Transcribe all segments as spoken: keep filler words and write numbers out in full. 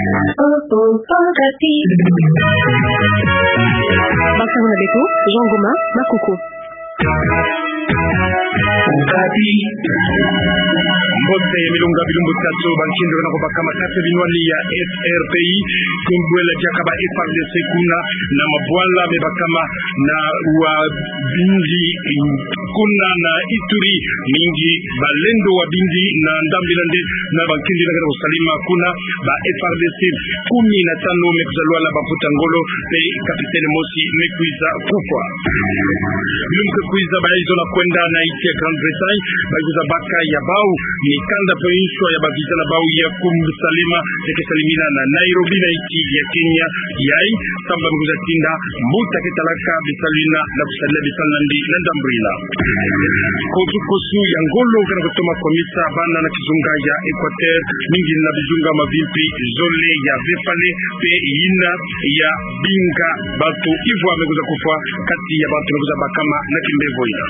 Basango na beto, Jean Goma Makuku. Mbote ya milonga bilumbu tatu, bankindu na kubakama kati binwani ya F R P I, kumbwela diaka ba F A R D C kuna, na mabwala me bakama na wa bindi, kuna na Ituri, mingi balendo wa bindi na ndambu ina nde na bankindu na kusalama kuna, ba F A R D C kumi na tanu me kwiza lwala bamputa ngolo, pe capitaine mosi me kwiza kufwa. Bilumbu ke kwiza bayizo na kwenda na insi ya Grande-Bretagne, bayizo kwiza baka ya bau mikanda pe nswa ya bavisa na bau ya kusalama, ya ke salamina na Nairobi na insi ya Kenya, yayi, samu ba me kwiza tinda mbuta ke talaka bisalu ina na kusalila bisalu na ndi na ndambu ina. Kosu kosu ya ngolo kena kutoma kwamisa bana na kizunga ya Equateur, mingi na bizunga mavimpi zole ya vefale, pe ina ya binga bantu ivwa me kwiza kufwa kati ya bantu me kwiza bakama na kimbevo ina.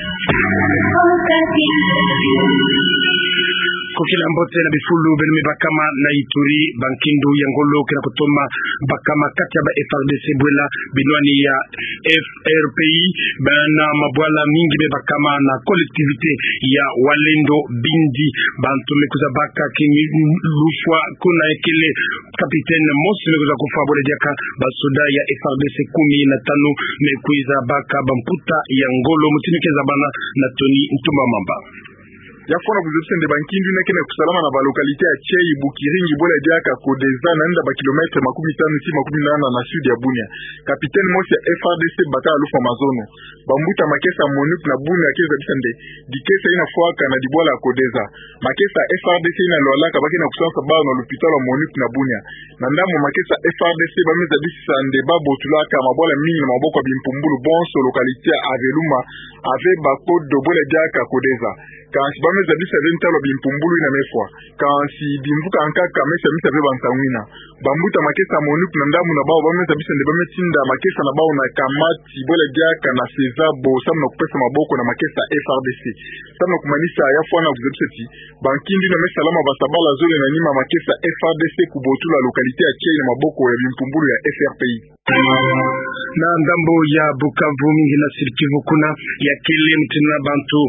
Kokila mbote na bifulu beno me bakama na Ituri, bankindu ya ngolo kena kutoma bakama kati ya ba F A R D C bwela binwani ya F R P I, bana mabwala mingi me bakama na collectivité ya Wazalendo bindi, bantu me kwiza baka kini lufwa kuna ekele capitaine mosi me kwiza kufwa bwele diaka basoda ya F A R D C kumi na tanu me kwiza baka bamputa ya ngolo. Mutini ke zabana na Tony Ntumba Mamba. Ya fwana kuzebisa nde bankindu ina kena kusalama na ba localité ya Tiei, Bukiringi, bwele diaka Kodeza, na nda ba kilomètre makumi tanu ti makumi nana na sud ya Bunia. Capitaine mosi ya F A R D C bata lufwa mazono. Bambuta makesa MONUC na Bunia ke zabisa nde dikesa ina fwaka na dibwala Kodeza. Makesa F A R D C ina lwalaka ba kena kusansa bau na lupitalu ya MONUC na Bunia. Na ndambu makesa F A R D C ba me zabisa nde ba botulaka mabwala mingi na maboko ya bimpumbulu bonso, localité ya Aveluma, Ave, Bakodo, bwele diaka Kodeza. Kansi ba me zabisa ve ntalu ya bimpumbulu ina me fwa. Kansi bimvuka nkaka me sa misa ve bansangu ina. Bambuta makesa MONUC na ndambu na bau ba me zabisa nde ba me tinda makesa na bau na Kamati, bwele diaka na Sezabo, samu na kupesa maboko na makesa F A R D C. Samu na kumanisa, ya fwana kuzebisa ti bankindu ina me salama basabala zole na nima makesa F A R D C kubotula localité ya Tiei na maboko ya bimpumbulu ya F R P I. Na ndambu ya Bukavu, mingi na Sud-Kivu kuna, ya kele mutindu na bantu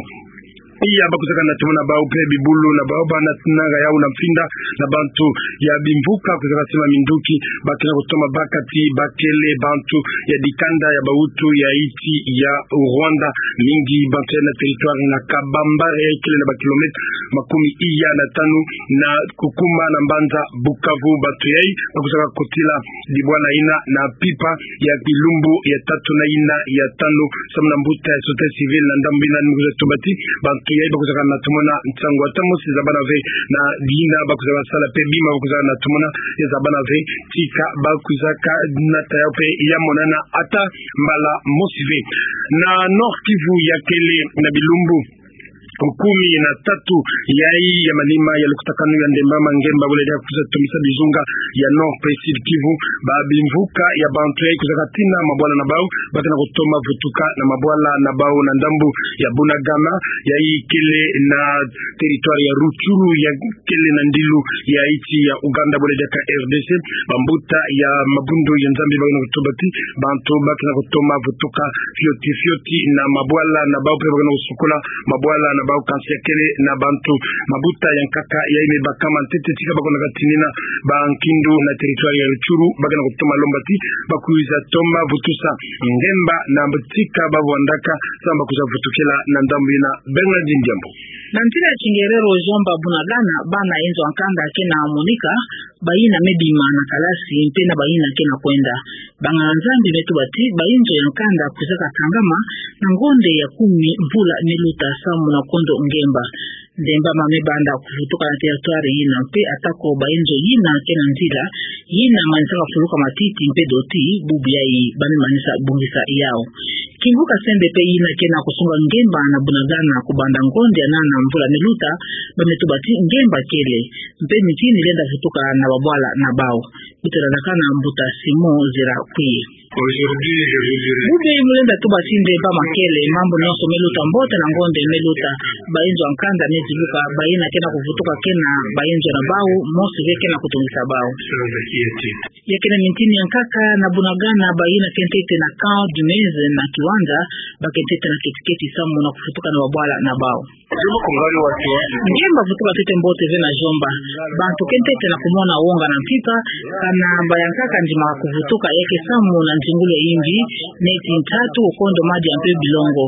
iya ba kwizaka na tomona bau pe bibulu na bau ba na tinanga yau na mfinda na bantu ya bimvuka kwizaka sima minduki, ba kena kutoma baka ti ba kele bantu ya dikanda ya bawutu ya insi ya Rwanda, mingi bantu ya na territoire na Kabambare ya kele na ba kilomètre makumi iya na tanu na kukuma na mbanza Bukavu. Bantu yayi ba kwizaka kotila dibwala ina na pipa ya bilumbu ya tatu na ina ya tanu, samu na mbuta ya société civile na ndambu ina ni me kwiza tuba ti bantu yayi ba kwizaka na tomona nsangu ata mosi zabana ve, na dina ba kwizaka sala pe bima ba kwizaka na tomona ya zabana ve, tika ba kwizaka nata yau pe ya monana ata mbala mosi ve. Na Nord-Kivu, ya kele na bilumbu kumi na tatu yayi ya manima ya lukutakanu ya ndemba ma ngemba, bwele diaka kwiza tomisa bizunga ya Nord pe Sud-Kivu, ba bimvuka ya bantu yayi kwizaka tina mabwala na bau, ba kena kutoma vutuka na mabwala na bau na ndambu ya Bunagana, yayi kele na territoire ya Rutshuru, ya kele na ndilu ya insi ya Ouganda, bwele diaka R D C. Bambuta ya mabundu ya Nzambi ba kena kutuba ti bantu ba kena kutoma vutuka fioti fioti na mabwala na bau pe ba kena kusukula mabwala na bau, kansi ya kele na bantu, mabuta ya nkaka yayi me bakama ntete tika ba kwenda katinina bankindu na territoire ya Rutshuru, ba kena kutoma lomba ti ba kwiza toma vutusa ngemba na mbutika ba vwandaka, samu ba kwiza vutukila na ndambu ina. Bernardine Diambu. Na nzila ya kingerero, Jean, ba Bunagana, bana inzo ya nkanda kena monika, bayina me bima na kalasi, mpe na bayina kena kwenda. Banganga Nzambi me tuba ti bayinzo ya nkanda kwizaka kangama na ngonde ya kumi mvula me luta samu na kondo ngemba. Ndemba ma me banda kuvutuka na territoire yina, mpe atako bayinzo yina kena nzila, yina manisaka fuluka matiti mpe doti, bubu yayi ba me manisa bongisa yau. Kingu Kasende pe yina ke na kusunga ngemba na Bunagana kubanda ngonde ya nana mvula meluta, ba me tuba ti ngemba kele. Mpe miti ni lenda vutuka na babwala na bau. Beto landakana Mbuta Simon Zera Kuye. Bubu mu lenda tuba ti nde ba makele, mambu nyonso meluta mbote na ngonde meluta, ba inzo ya nkanda mezibuka, ba yina ke na kuvutuka ke na ba inzo na bau, mosi ve ke na kutungisa bau. Ya kele miti ni ya nkaka na Bunagana, ba yina ke ntete na Camp du Meze na Kiwanja, ba ke ntete na keti-keti samu na kuvutuka na babwala na bau. Ngemba vutuka ntete mbote ve na jomba. Bantu ke ntete na kumona wonga na mpimpa, kana ba ya nkaka ndimaka kuvutuka ya ke samu na nzingulu ya yimbi, neti ntatu, okondo, madi ya mpe bilongo.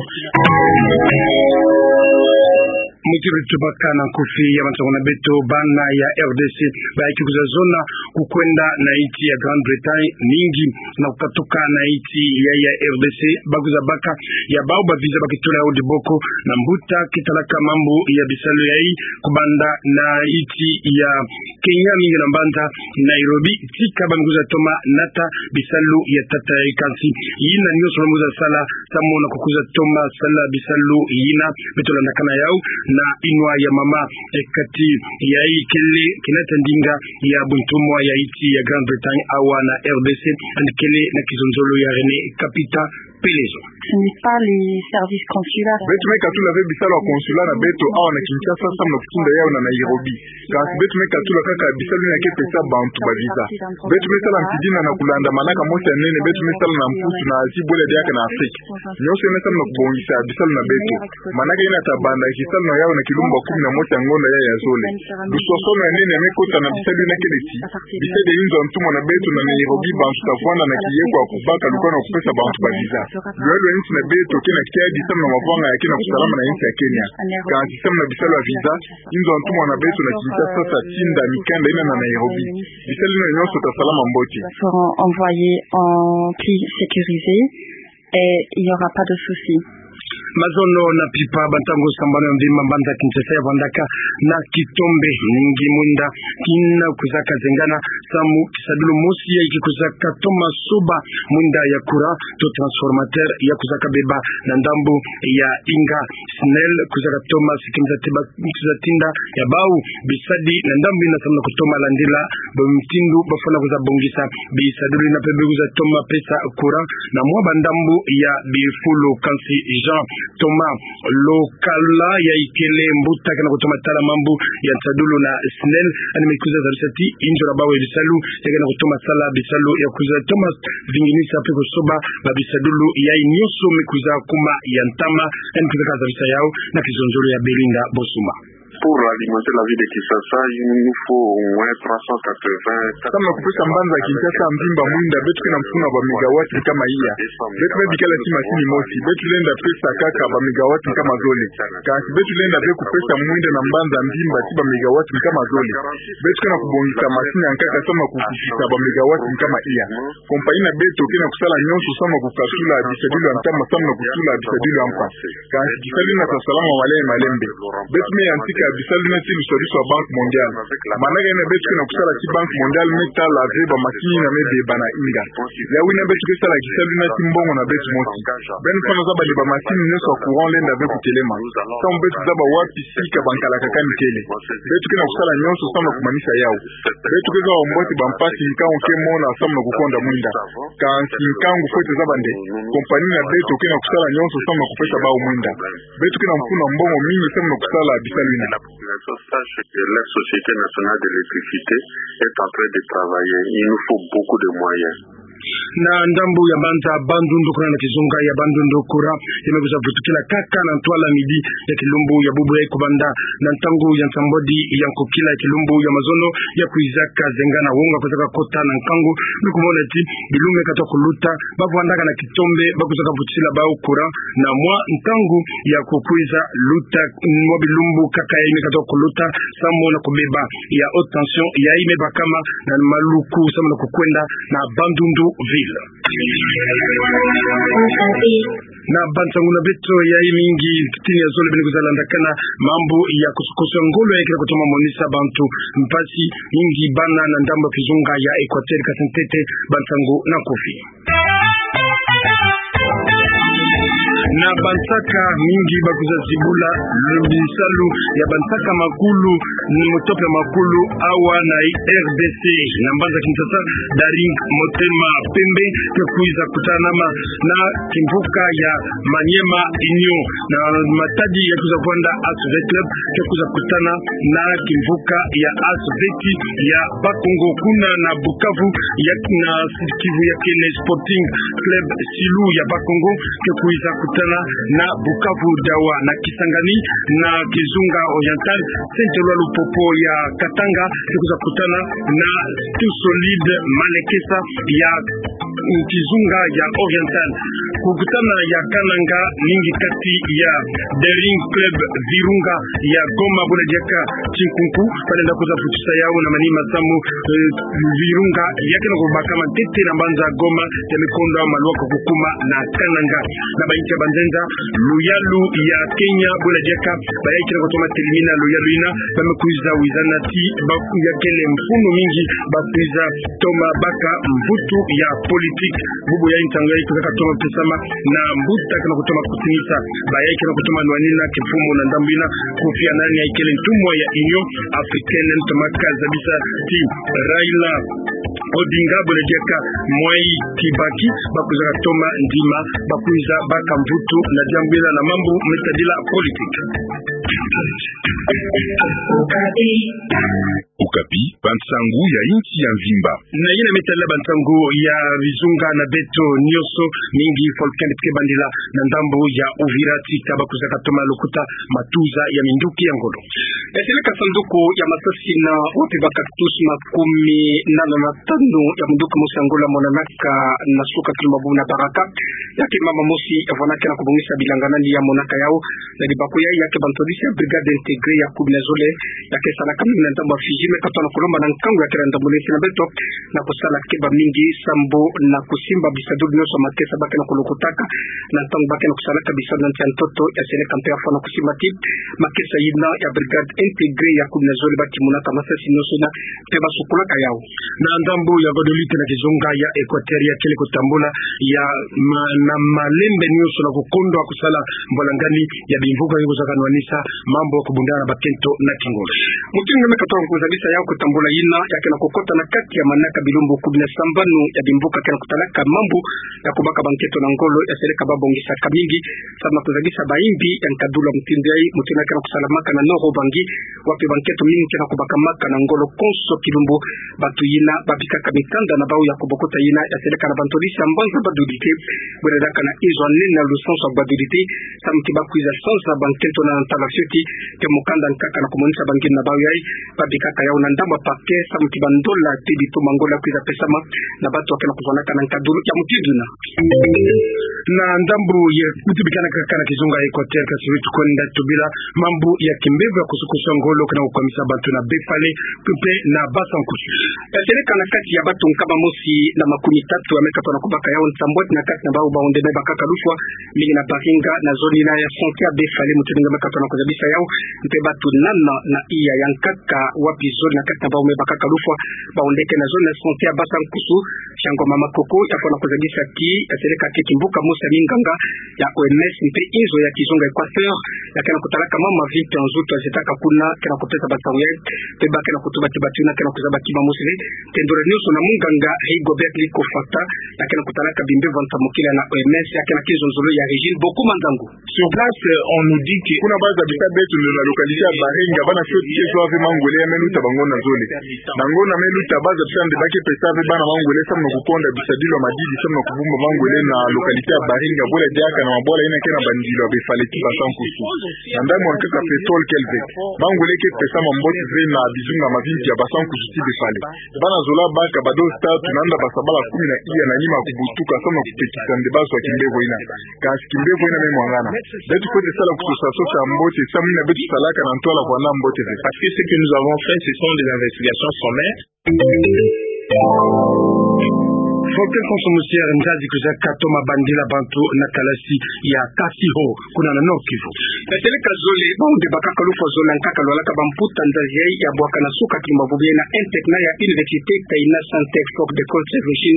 Mutiri tubaka na nkufi ya mansongo na beto, bana ya R D C, ba yaki kwiza zona kukwenda na insi ya Grande-Bretagne, mingi na kukatuka na insi ya, ya R D C, ba kwiza baka ya bau ba visa ba ke tula yau diboko, na mbuta ke talaka mambu ya bisalu yayi, kubanda na insi ya Kenya, mingi na mbanza Nairobi, tika ba me kwiza toma nata bisalu ya tata yayi. Kansi yina nyonso ba me kwiza sala, samu na kukwiza toma sala bisalu yina, beto landakana yau na inwa ya mama, eh, kati yayi kele kinata ndinga ya buntumwa ya insi ya Grande-Bretagne awa na R D C, yandi kele na kizonzolo ya René Kapita Pelezo. Ce n'est pas les services consulaires. Beto me katula ve bisalu ya consulat na beto awa na Kinshasa samu na kutinda yau na Nairobi. Kansi beto me katula kaka bisalu yina ke pesa bantu ba visa. Beto me sala mpidina na kulanda manaka mosi ya nene beto me sala na mputu na Asie bwela diaka na Afrique. Nyonso yina samu na kubongisa bisalu na beto. Manaka yina ta banda, kisalu na yau na kilumbu ya kumi na mosi ya ngonda ya, ya zole. Lusosono ya nene me kota na bisalu yina kele ti, bisalu ya inzo ya ntumwa na beto na Nairobi, bantu ta vwanda na kiye kwa kubaka lukanu ya kupesa bantu ba visa. Lwelo ya insi na beto ke na kiadi samu na mavanga ya ke na kusalama na insi ya Kenya. Kansi samu na bisalu ya visa, inzo ya ntumwa na beto na Kinshasa ta tinda mikanda yina na Nairobi. Bisalu yina nyonso ta salama mbote. Seront envoyés en pays sécurisé et il n'y aura pas de souci. Mazono na mpimpa, bantangu sambanu ya mvimba, mbanza Kinshasa ya vwandaka na kitombe mingi, mwinda kina kwizaka zengana, samu kisadulu mosi ya ke kwizaka toma soba mwinda ya courant to transformateur ya kwizaka beba na ndambu ya Inga. SNEL kwizaka toma sikimisa ti ba kwiza tinda ya bau bisadi na ndambu yina samu na kutoma landila ba mutindu ba fwana kwiza bongisa bisadulu yina mpe ba kwiza toma pesa courant na mwa ba ndambu ya bifulu. Kansi Jean Thomas Lokala, yayi kele mbuta ke na kutoma tala mambu ya nsadulu na SNEL, yandi me kwiza zabisa ti inzo na bau ya bisalu ya ke na kutoma sala bisalu ya kwiza toma vinginisa mpe kusoba ba bisadulu yayi nyonso me kwiza kuma ya ntama. Yandi me kwiza kazabisa yau na kizonzolo ya Belinda Bosuma. Pour alimenter la ville de Kinshasa, il nous faut au moins trois cent quatre-vingts. Samu na kupesa mbanza Kinshasa mvimba mwinda, beto ke na mfunu ya ba mégawatts nkama iya. Beto me bikala ti masini mosi, beto lenda pesa kaka ba mégawatts nkama zole. Kansi beto lenda ve kupesa mwinda na mbanza mvimba ti ba mégawatts nkama zole. Beto ke na kubongisa masini ya nkaka samu na kukisisa ba mégawatts nkama iya. Compagnie na beto ke na kusala nyonso samu na kukatula bisadulu ya ntama samu na kutula bisadulu ya mpa. Kansi kisalu yina ta salama malembe malembe. Beto me yantika bisalu yina ti lusadisu ya Banque Mondiale. Manaka yina beto ke na kusala ti Banque Mondiale me tala ve ba masini yina me beba na Inga. Yawu yina beto ke sala kisalu yina ti mbongo na beto mosi. Beno fwana zaba nde ba masini nyonso ya courant lenda ve kutelema. Samu beto zaba wapi sika ba nkalakakani kele. Beto ke na kusala nyonso samu na kumanisa yawu. Beto ke zaba mbote ba mpasi nkangu ke mona samu na kukonda mwinda. Kansi nkangu fwete zaba nde compagnie na beto ke na kusala nyonso samu na kupesa bau mwinda. Beto ke na mfunu ya mbongo mingi samu na kusala bisalu yina. La Société Nationale de l'Électricité est en train de travailler. Il nous faut beaucoup de moyens. Na ndambu ya mbanza Bandundu, kuna na kizunga ya Bandundu, courant ya me kwiza vutukila kaka na ntwala midi ya kilumbu ya bubu yayi, kubanda na ntangu ya nsambwadi ya nkokila ya kilumbu ya mazono ya kwiza kazengana. Wonga kwiza kakota na nkangu, me kumona ti bilumbu me kata kuluta, ba vwandaka na kitombe ba kwiza kavutila bau courant na mwa ntangu ya kukwiza luta, mwa bilumbu kaka yayi me kata kuluta, samu na kubeba ya haute tension yayi me bakama na maluku samu na kukwenda na Bandundu ville. Na bansangu na beto yayi mingi, titini ya zole beno kwiza landakana mambu ya kusukusu ya ngolo yayi ke na kutoma monisa bantu mpasi mingi, bana na ndambu ya kizunga ya Equateur. Kasi ntete bansangu na nkufi. Na bansaka mingi bakwiza zibula bisalu ya bansaka makulu, ni motope makulu awa na R D C. Na mbanza Kinshasa, Daring Motema Pembe ke kwiza kutana ma na kimvuka ya Maniema Union. Na matadi ya kwiza kwenda Asove Club ke kwiza kutana na kimvuka ya Asoveti ya Bakongo. Kuna na Bukavu, ya na Sud-Kivu ya kele Sporting Club Silu ya Bakongo ke kwiza kutana na Bukavu Dawa. Na Kisangani, na Kizunga Oriental, Saint-Eloi Lupopo ya Katanga ke kwiza kutana na Tout Solide Malekesa ya Kizunga ya Oriental. Kukutana ya Kananga, mingi kati ya Daring Club Virunga ya Goma, buna diaka Tinkunku, balenda kwiza vutisa yau na manima masamu, eh, Virunga ya kena kubaka mantete na mbanza Goma, ya mikondwa maluka kukuma na Kananga. Na bainchi ya banzenza, luyalu ya Kenya, buna diaka, bayai kena kutoma telimina luyalu yina, ba me kwiza wizana ti, ba ya kele mfunu mingi, ba kwiza toma baka mvutu ya politique. Bubu ya ntangu ya kwiza katoma pesama na mbuta kena kutoma kutinisa. Bayai kena kutoma nwanina kimfumu na ndambu yina, Kofi Annan ya kele ntumwa ya Union Africaine, ntoma kazabisa ti Raila Odinga, buna diaka Mwai Kibaki, ba kwiza katoma ndima, ba kwiza baka mvutu na diambu yina na mambu me tadila politique. Okapi, bansangu ya insi ya mvimba. Na yina me tadila bansangu ya bizunga na beto nyonso, mingi Volcan ke bandila na ndambu ya Uvira ti ta ba kwiza katoma lukuta matuza ya minduki ya ngolo. Ya seleka sanduku ya masasi na wapi ba cactus makumi nana na tanu ya munduki mosi ya Angola monanaka na suka kilumbu na Baraka. Ya ke mama mosi ya vwanda kena kubongisa bilanga nani ya monaka yau na libaku yai, ya ke bantwadisi ya Brigade Intégrée ya kumi na zole, ya ke salaka mingi na ndambu ya Fidji, me katona kulomba na nkangu ya kele ndambu neti na beto, na kusala keba mingi sambu na kusimba bisadulu nyonso makesa ba kena kulukutaka, na ntangu ba kena kusalaka bisalu na nsi ya ntoto. Ya seleka mpe ya fwana kusimba ti makesa yina ya Brigade Intégrée ya kumi na zole ba timunaka masasi nyonso yina, mpe ba sukulaka yau. Na ndambu ya Guadeloupe na kizunga ya Équateur ya kele kutambula ya ma-, na malembe nyonso na kukondwa kusala mbwalangani ya bimvuka yo kuzaka nwanisa mambu ya kubundana na bakento na kingolo. Mutindu me katona kuzabisa yau kutambula yina ya kena kukota na kati ya manaka bilumbu kumi na sambanu ya bimvuka kena kutalaka mambu ya kubaka bankento na ngolo. Ya seleka ba bongisaka mingi samu na kuzabisa bayimbi ya nkadulu ya mutindu yai, mutindu ya kena kusalamaka na Nord-Ubangi, wapi bankento mingi kena kubakamaka na ngolo konso kilumbu. Batu yina ba bikaka mikanda na bau ya kubokota yina ya seleka na bantwadisi ya mbanza Badudite, bwena diaka na inzo ya nene na lusansu ya Badudite, samu ti ba kwiza sansa bankento na ntala fioti, ke mukanda nkaka na kumonisa bangeni na bau yai, ba bikaka yau na ndambu ya parquet, samu ti bandola ti bituma ngolo ya kwiza pesama na batu ya kena kuvwanaka na nkadulu ya mutindu yina. Na ndambu ya kutu bikana kaka na kizunga ya Équateur, kasi wetu kwenda tubila mambu ya kimbevo ya kusukusu ya ngolo kena kukwamisa bantu na Befale, mpe na Basa-Nkusu. Ya seleka na kati ya batu nkama mosi na makumi tatu ya me katona kubaka yau nsambwadi na kati na bau ba onde me bakaka lufwa, mingi na Baringa, na zone yina ya santé ya Befale, mutindu nge me katona kuzabisa yau, mpe batu nana na iya ya nkaka wapi zone na kati na bau me bakaka lufwa, ba onde ke na zone na santé ya Basa-Nkusu, Fiango Mama Koko, ya fwana kuzabisa ti ya seleka ke kimbuka mosi ya minganga ya O M S mpe inzo ya kizunga Équateur ya kena kutalaka mama mavimpi ya nzutu ya zetaka kuna, kena kupesa basamu yai, mpe ba kena kutuba ti batu yina kena kuzaba kima mosi ve, tendula nyonso na munganga Rigobert Likofata, ya kena kutalaka bimbevo ya nsamukila na O M S, ya kena kinzonzolo ya Régine Boku Manzangu. Sur place, euh, on nous dit que kuna ba zabisa beto nde na localité ya Baringa, bana fioti ke zwa ve mangwele ya me luta bango na zole. Na ngonda me luta, ba zabisa nde ba ke pesa ve bana mangwele samu na kukonda bisadilu ya madidi, samu na kubumba mangwele na localité ya Baringa, bwela diaka na mabwala yina ke na bandilu ya Befale ti Basa-Nkusu. Na ndambu ya nkaka pétrole Kelvec, mangwele ke pesama mbote ve na bizunga mavimpi ya Basa-Nkusu ti Befale. Bana zola baka badozi tatu na nda basa bala kumi na iya na nima kubutuka samu na kupekisa nde bazwa kimbevo yina. Kasi kimbevo yina me mwangana. Beto fwete sala kusosa sosa ya mbote, samu yina beto salaka na ntwala kwenda mbote ve. Parce que ce que nous avons fait, ce sont des investigations sommaires. Folklore Konso Musiere, nzazi kwiza katoma bandila bantu na kalasi ya Kasiho, kuna na Nord-Kivu. Na seleka zole, bawu nde bakaka lufwa zole na nkaka lwalaka bamputa nzazi yayi ya bwaka na suka kilumba bubu yayi na internat ya Université Taina Sante Foc de Conservation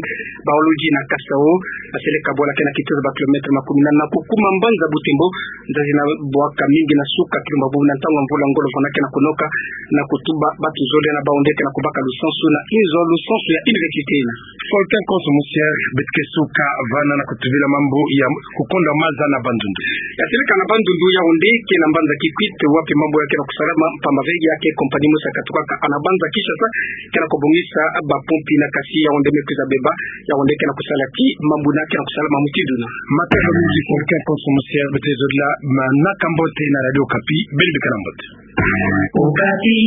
Biologie na Kasao. Na seleka bwala kena kitoza ba kilomètre makumi nana na kukuma mbanza Butembo. Nzazi na bwaka mingi na suka kilumba bubu na ntangu ya mvula ngolo mvula kena kunoka, na kutuba bantu zole na bawu nde kena kubaka lusansu na inzo lusansu ya université ina. Folklore Konso Musiere, beto ke suka vana na kutubila mambu ya kukonda maza na Bandundu. Ya seleka na Bandundu, yawu nde kena mbanza Kikwit, wapi mambu ya kena kusalama, mpamba ve ya ke compagnie mosi ya katukaka na mbanza Kinshasa, kena kubongisa bapompi na kasi yawu nde me kwiza beba, yawu nde kena kusala ti mambu na kena kusalama mutindu na. Matondo mingi Folklore Konso Musiere, beto zodila, ma-, naka mbote na Radio Okapi, beno bikana mbote. Okapi.